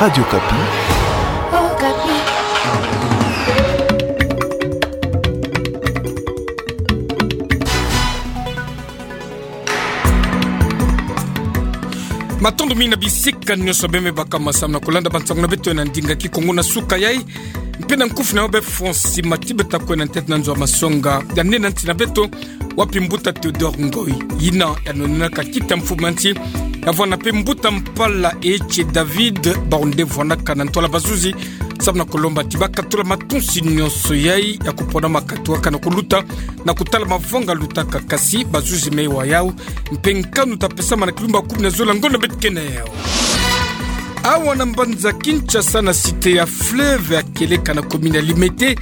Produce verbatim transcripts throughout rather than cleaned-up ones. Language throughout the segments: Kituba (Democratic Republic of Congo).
Radio Okapi. Okapi. Matondo mingi na bisika nyonso bie me baka masamu na kulanda bansangu na beto na ndinga Kikongo na suka yai. Mpe na nkufi na yo bie François Mathieu beta kwenda ntete na nzo ya masonga ya nene nti na beto, wapi mbuta Théodore Ngoy, yina yanonenaka kiti ya mfumu ya nti, yavwanda mpe mbuta mpala Ece David, bawu nde vwanaka na ntwala bazuzi, samu na kulomba ti bakatula matonsi nyonso yai ya kupona ma katuka na kuluta na kutala mavanga lutaka, kasi bazuzi me wa yau, mpe nkanu ta pesama na kilumbu ya kumi na zole ya ngonda beto kena yau. Awa na mbanza Kinshasa na cité ya Fleuve ya kieleka na commune ya Limete,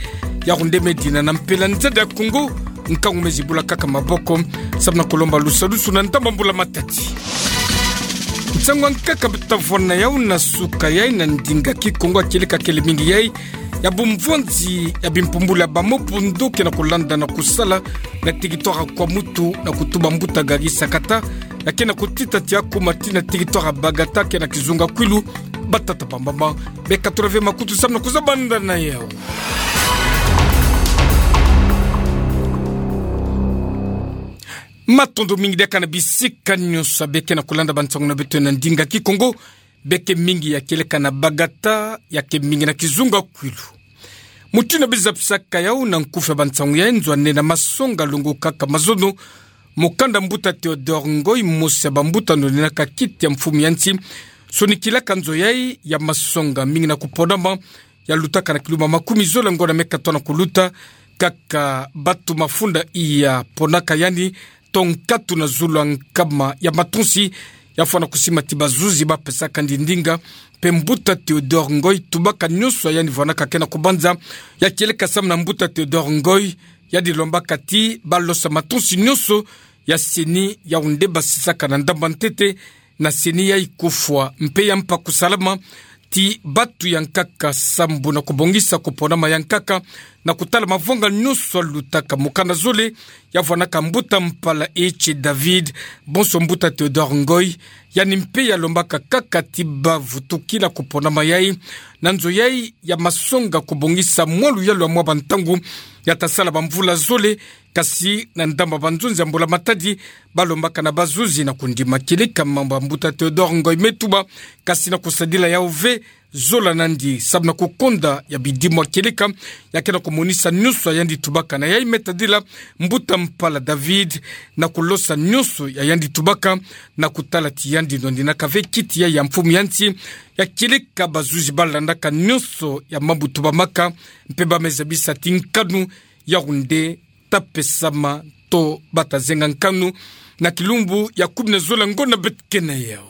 yau nde me dina na mpela nzadi ya Kongo, nkangu me zibula kaka maboko, samu na kulomba lusalusu na ndambu ya mbula matadi. Nsangu ya nkaka beta vwanda yau na suka yai na ndinga Kikongo ya kieleka kele mingi yai, ya bumvwanzi ya bimpumbulu ya ba mobundo ke na kulanda na kusala na territoire ya Kwamouth na kutuba mbuta Gary Sakata, ya ke na kutita ti akuma tii na territoire ya Bagata ke na kizunga Kwilu. Batata bamama, bie katula ve makutu samu na kuzabanda na yau. Matondo mingi diaka na bisika nyonso bie ke na kulanda bansangu na beto na ndinga Kikongo, bie ke mingi ya kieleka na Bagata, ya ke mingi na kizunga Kwilu. Mutindu bie zabisaka yau na nkufi ya bansangu ya nzo ya nene ya masonga, longokaka mazono, mukanda mbuta Théodore Ngoy, mosi ya bambuta yanonenaka kiti ya mfumu ya nti, sonikilaka nzo yai ya masonga mingi na kuponama, ya lutaka na kilumbu ya makumi zole ya ngonda me katoa na kuluta, kaka batu mafunda iya ponaka yandi, to nkatu na zulu ya nkama ya matonsi, ya fwana kusima ti bazuzi ba pesaka ndi ndinga, mpe mbuta Théodore Ngoy, tubaka nyonso ya yandi vwanaka ke na kubanza, ya kieleka samu na mbuta Théodore Ngoy, yandi lombaka ti ba losa matonsi nyonso ya CENI, yau nde basisaka na ndambu ya ntete, na CENI yai kufwa mpe ya mpa kusalama, ti batu ya nkaka sambu na kubongisa kuponama ya nkaka, na kutala mavanga nyonso ya lutaka. Mukanda zole, ya vwanaka mbuta mpala Ece David, bonso mbuta Théodore Ngoy, yandi mpe ya lombaka kaka ti ba vutukila kuponama yai, na nzo yai ya masonga kubongisa mwa luyalu ya mwa bantangu, ya ta sala bamvula zole, kasi na ndambu ya banzonzi ya mbula matadi, ba lombaka na bazuzi na kundima kieleka mambu ya mbuta Théodore Ngoy me tuba, kasi na kusadila yau ve zola na yandi, samu na kukonda ya bidimbu ya kieleka, ya ke na kumonisa nyonso ya yandi tubaka na yai me tadila mbuta mpala David, na kulosa nyonso ya yandi tubaka, na kutala ti yandi nonenaka ve kiti yai ya mfumu ya nti, ya kieleka bazuzi ba landaka nyonso ya mambu tubamaka, mpe ba me zabisa ti nkanu yau nde ta pesama to ba ta zenga nkanu na kilumbu ya kumi na zole ya ngonda beto kena yau.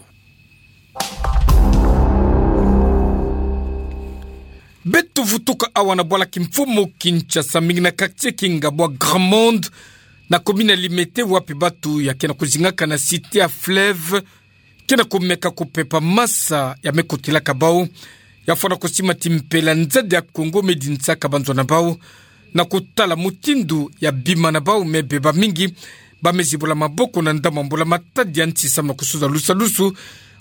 Beto vutuka awa na bwala kimfumu Kinshasa, mingi na quartier kingabwa Grand Monde, na commune ya Limete, wapi batu ya ke na kuzingaka na cité ya Fleuve ke na kumeka kupepa masa ya me kotilaka bau, ya fwana kusima ti mpela nzadi ya Kongo me dinsaka banzo na bau, na kutala mutindu ya bima na bau me beba mingi, ba me zibula maboko na ndambu ya mbula matadi ya nti samu na kusosa lusalusu.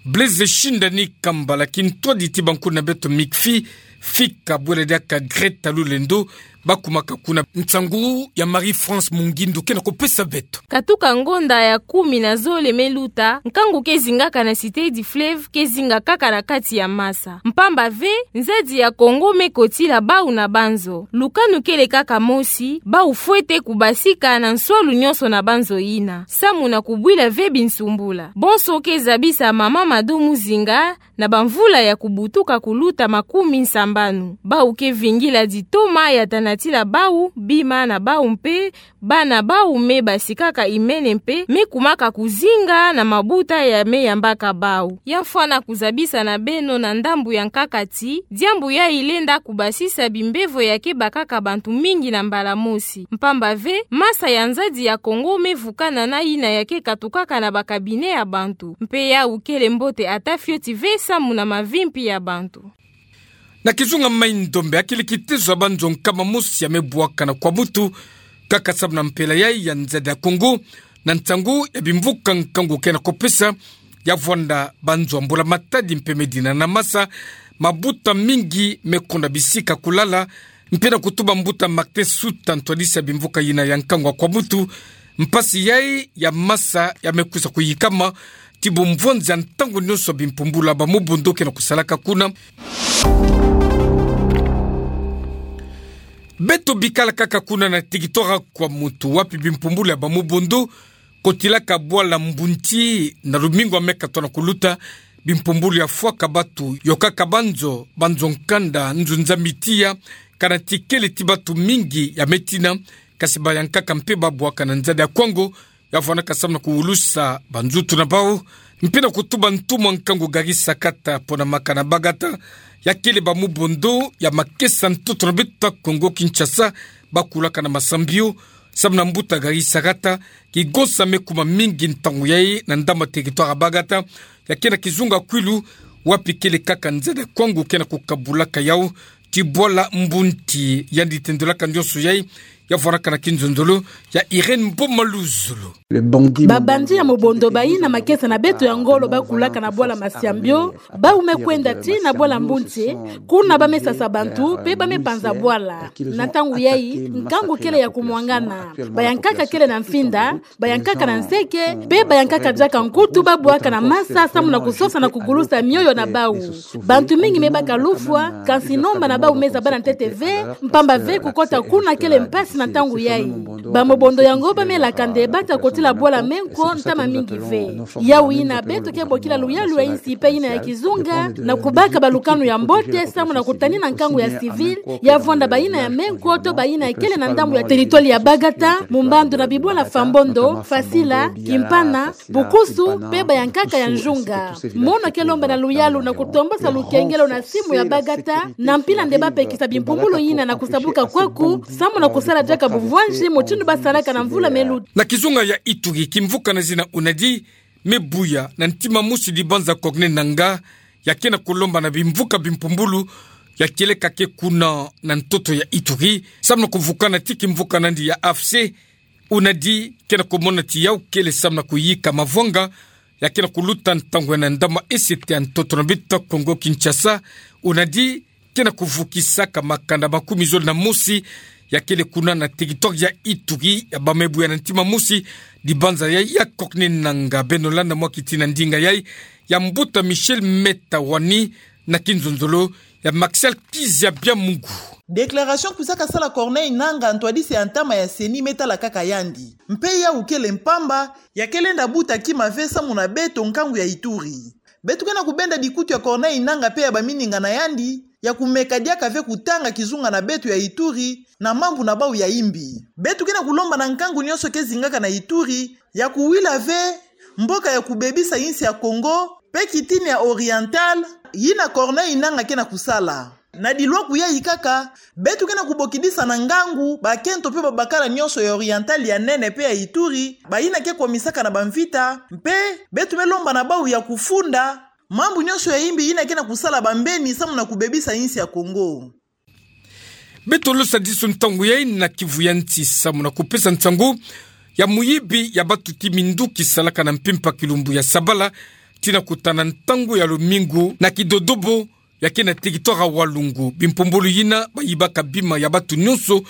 Blaise Shindani Kambala, kintwadi ti bankulu na beto MICFI, fika bwela diaka Greta Lulendo, ba kumaka kuna. Nsangu ya Marie-France Mungindu ke na kupesa beto. Katuka ngonda ya kumi na zole me luta, nkangu ke zingaka na Cité du Fleuve ke zinga kaka na kati ya masa. Mpamba ve, nzadi ya Kongo me kotila bau na banzo. Lukanu kele kaka mosi, bau fwete kubasika na nswalu nyonso na banzo yina, samu na kubwila ve binsumbula. Bonso ke zabisa mama Mado Muzinga, na bamvula ya kubutuka kuluta makumi nsambanu. Bau ke vingila ditoma ya ta natila bau, bima na bau mpe bana bau me basikaka imene mpe me kumaka kuzinga na mabuta ya me yambaka bau. Ya mfwana kuzabisa na beno na ndambu ya nkaka ti, diambu yayi lenda kubasisa bimbevo ya ke bakaka bantu mingi na mbala mosi. Mpamba ve, masa ya nzadi ya Kongo me vukana na yina ya ke katukaka na ba cabinet ya bantu. Mpe yawu kele mbote ata fioti ve samu na mavimpi ya bantu. Na kizunga Mai-Ndombe, akili kitezo ya banzo nkama mosi ya me bwaka na Kwamutu, kaka samu na mpela yayi ya nzadi ya Kongo, na ntangu ya bimvuka nkangu ke na kopesa, ya vwanda banzo ya mbula matadi mpe me dina na masa, mabuta mingi me konda bisika kulala, mpe na kutuba mbuta Martin Suta, ntwadisi ya bimvuka yina ya nkangu wa Kwamutu, mpasi yai ya masa ya me kwiza kuyikama, ti bumvwanzi ya ntangu nyonso bimpumbulu ya ba Mobondo ke na kusalaka kuna. Beto bikala kaka kuna na territoire Kwamutu, wapi bimpumbulu ya ba Mobondo kotilaka bwala Mbunti na lumingu ya me katono kuluta, bimpumbulu ya fwaka batu, yokaka banzo, banzo nkanda, nzunza mitiya, kana tikele ti batu mingi ya me tina, kasi bayankaka mpe babwaka na nzadi ya kwango, ya vwanaka samu na kuwulusa banzutu na bau, mpe na kutuba ntumwa nkangu Gary Sakata, pona makana Bagata, ya kele ba Mobondo ya makesa ntoto na beto Kongo Kinshasa, bakulaka na Massambio, samu na mbuta Gary Sakata, kigonsa me kuma mingi ntangu yai na ndambu ya territoire ya Bagata, ya ke na kizunga Kwilu, wapi kele kaka nzadi ya kwango ke na kukabulaka yau, ti bwala Mbunti, yandi tendelaka nyonso yai, ya vwanaka na kinzonzolo ya Irène Mboma Luzolo. Babandi ya Mobondo bayina makesa na beto ya ngolo bakulaka na bwala Massambio, bau me kwenda tii na bwala Mbunti, kuna ba me sasa bantu, mpe ba me panza bwala. Na ntangu yai, nkangu kele ya kumwangana. Bayankaka kele na mfinda, bayankaka na nseke, mpe bayankaka diaka nkutu babwaka na masa samu na kusosa na kugulusa mioyo na bau. Bantu mingi me baka lufwa, kansi nomba na bau me zabana ntete ve, mpamba ve kukota kuna kele mpasi na ntangu yai. Ba Mobondo yango ba me laka nde bata kotila bwala Menko ntama mingi ve. Yau yina beto ke bokila luyalu ya insi mpe yina ya kizunga, na kubaka balukanu ya mbote, samu na kutanina nkangu ya civil, ya vwanda bayina ya Menko to bayina ya kele na ndambu ya territoire ya Bagata, mu mbandu na bibwala Fambondo, Fasila, Kimpana, Bukusu, mpe bayankaka ya Njunga. Mono ke lomba na luyalu na kutombosa lukengelo na simu ya Bagata, na mpila nde ba pekisa bimpumbulu yina na kusabuka kwaku, samu na kusala diaka bumvwanzi mutindu ba salaka na mvula me luta. Na kizunga ya Ituri, kimvuka na zina UNADI, me buya na ntima mosi dibanza Corneille Nangaa, ya ke na kulomba na bimvuka bimpumbulu, ya kieleka ke kuna na ntoto ya Ituri, samu na kuvukana ti kimvuka nandi ya AFC, UNADI ke na kumona ti yau kele samu na kuyika mavwanga, ya ke na kuluta ntangu yai na ndambu ya esete ya ntoto na beto Kongo Kinshasa, UNADI ke na kuvukisaka makanda makumi zole na mosi, ya kele kuna na territoire ya Ituri, ya ba me buya na ntima mosi dibanza yai ya Corneille Nangaa. Beno landa mwa kiti na ndinga yai ya mbuta Michel Meta Wani, na kinzonzolo ya Martial Kizia Biamungu. Déclaration kwisaka sala Corneille Nangaa, ntwadisi ya ntama ya CENI, me tala kaka yandi. Mpe yau kele mpamba, ya ke lenda buta kima ve samu na beto nkangu ya Ituri. Beto ke na kubenda bikutu ya Corneille Nangaa mpe ya baminingana yandi, ya kumeka diaka ve kutanga kizunga na beto ya Ituri, na mambu na bau ya imbi. Beto ke na kulomba na nkangu nyonso ke zingaka na Ituri, ya kuwila ve mboka ya kubebisa insi ya Kongo, mpe kitini ya Oriental, yina Corneille Nangaa ke na kusala. Na dilwaku yai kaka, beto ke na kubokidisa na ngangu bakento mpe babakala nyonso ya Oriental ya nene mpe ya Ituri, bayina ke kwamisaka na bamvita, mpe beto me lomba na bau ya kufunda mambu nyonso ya imbi yina ke na kusala bambeni samu na kubebisa insi ya Kongo. Beto losa disu ntangu yai na Kivu ya Nsi samu na kupesa nsangu ya muyibi ya batu ti minduki salaka na mpimpa kilumbu ya sabala, tii na kutana ntangu ya lumingu na Kidodobo, ya ke na territoire ya Walungu. Bimpumbulu yina bayibaka bima ya batu nyonso,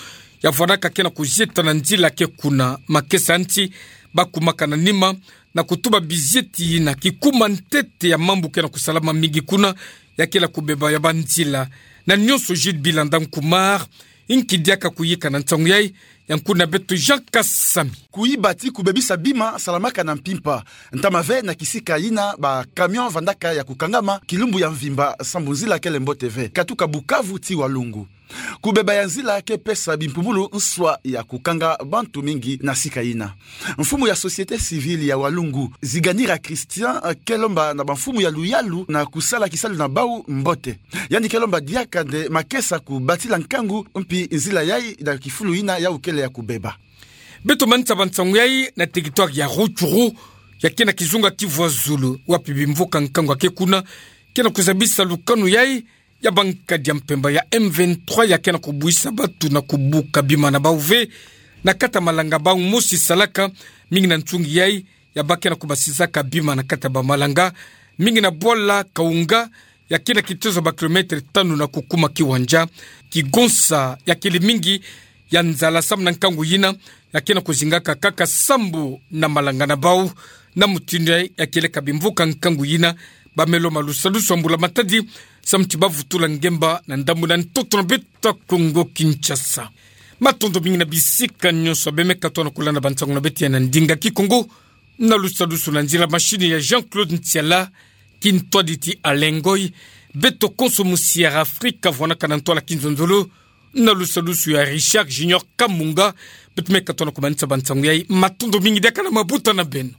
ya vwanaka ke na kuzieta na nzila ke kuna. Makesa nti bakumaka na nima na kutuba bizieti yina kikuma ntete ya mambu ke na kusalama mingi kuna, ya kele kubeba ya banzila. Na nyonso Jules Bilandang Kumar, inki diaka kuyika na nsangu yai, ya nkuna beto Jean Kasami. Kuyiba ti kubebisa bima salamaka na mpimpa. Ntama ve na kisika yina bacamion vandaka ya kukangama kilumbu ya mvimba sambu nzila kele mbote ve, katuka Bukavu tii Walungu. Kubeba ya nzila ke pesa bimpumbulu nswa ya kukanga bantu mingi na sika yina. Mfumu ya société civile ya Walungu, Ziganira Christian, ke lomba na bamfumu ya luyalu na kusala kisalu na bau mbote. Yandi ke lomba diaka nde makesa kubatila nkangu, mpi nzila yai na kifulu yina yau kele ya kubeba. Beto manisa ba nsangu yai na territoire ya Rutshuru, ya ke na kizunga Kivu ya Zulu, wapi bimvuka nkangu ya ke kuna ke na kuzabisa lukanu yai ya bankadi ya mpemba ya M vingt-trois ya ke na kubuisa batu na kubuka bima na bau ve na kati ya malanga bau mosi salaka, mingi na nsungi yai ya ba ke na kubasisaka bima na kati ya bamalanga, mingi na bwala Kaunga, ya ke na kitezo ba kilometre tanu na kukuma kiwanja. Kigonsa ya kele mingi ya nzala samu na nkangu yina, ya ke na kuzingaka kaka sambu na malanga na bau. Na mutindu yayi, ya kele ka bimvuka nkangu yina, bamelo malusalusu ya mbula matadi, samu ti bavutula ngemba na ndambu na ntoto na beto ya Kongo Kinshasa. Matondo mingi na bisika nyonso bemeka tona kulanda bansangu na beto ya na ndinga Kikongo, na lusalusu na nzila machine ya Jean-Claude Ntiala, kintwaditi Alain Ngoy. Beto konso mu Sierra Africa vwanaka na ntwala kinzonzolo, na lusalusu ya Richard Junior Kamunga. Beto meka tona kumanisa bansangu yayi. Matondo mingi, diaka na mabuta na beno.